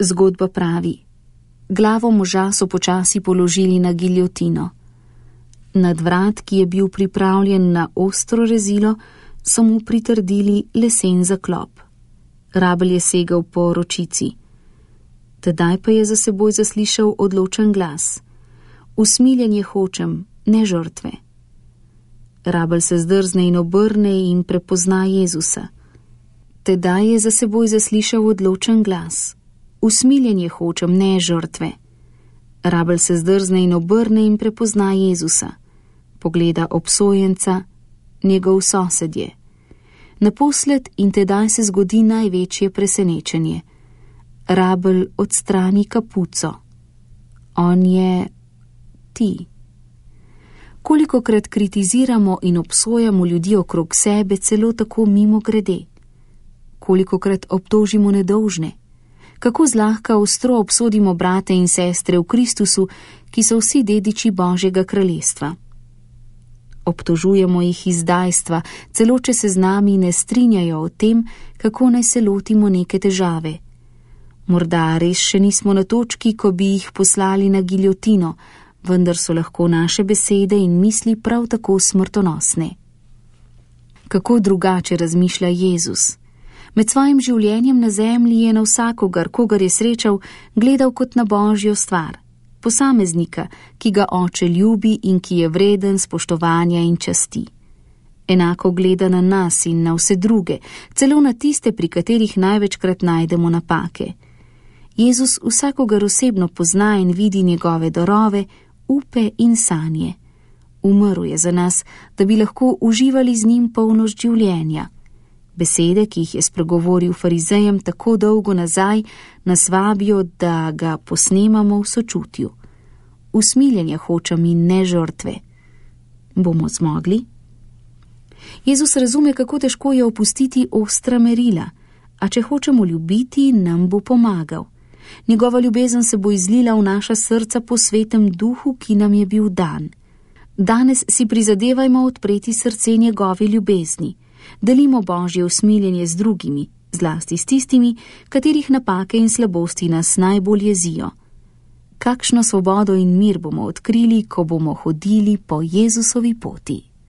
Zgodba pravi: glavo moža so počasi položili na giljotino. Nad vrat, ki je bil pripravljen na ostro rezilo, so mu pritrdili lesen zaklop. Rabelj je segel po ročici. Tedaj pa je za seboj zaslišal odločen glas: usmiljenje hočem, ne žrtve. Rabelj se zdrzne in obrne in prepozna Jezusa. Tedaj je za seboj zaslišal odločen glas: usmiljenje hočem, ne žrtve. Rabelj se zdrzne in obrne in prepozna Jezusa. Pogleda obsojenca, njegov sosedje. Naposled in tedaj se zgodi največje presenečenje. Rabelj odstrani kapuco. On je ti. Kolikokrat kritiziramo in obsojamo ljudi okrog sebe celo tako mimogrede. Kolikokrat obtožimo nedolžne. Kako zlahka ostro obsodimo brate in sestre v Kristusu, ki so vsi dediči Božjega kraljestva. Obtožujemo jih izdajstva, celo če se z nami ne strinjajo o tem, kako naj se lotimo neke težave. Morda res še nismo na točki, ko bi jih poslali na giljotino, vendar so lahko naše besede in misli prav tako smrtonosne. Kako drugače razmišlja Jezus? Med svojim življenjem na zemlji je na vsakogar, kogar je srečal, gledal kot na Božjo stvar. Posameznika, ki ga Oče ljubi in ki je vreden spoštovanja in časti. Enako gleda na nas in na vse druge, celo na tiste, pri katerih največkrat najdemo napake. Jezus vsakogar osebno pozna in vidi njegove darove, upe in sanje. Umrl je za nas, da bi lahko uživali z njim polnost življenja. Besede, ki jih je spregovoril farizejem tako dolgo nazaj, nas vabijo, da ga posnemamo v sočutju. Usmiljenje hočem in ne žrtve. Bomo zmogli? Jezus razume, kako težko je opustiti ostra merila, a če hočemo ljubiti, nam bo pomagal. Njegova ljubezen se bo izlila v naša srca po svetem duhu, ki nam je bil dan. Danes si prizadevajmo odpreti srce njegove ljubezni. Delimo Božje usmiljenje z drugimi, zlasti s tistimi, katerih napake in slabosti nas najbolj jezijo. Kakšno svobodo in mir bomo odkrili, ko bomo hodili po Jezusovi poti.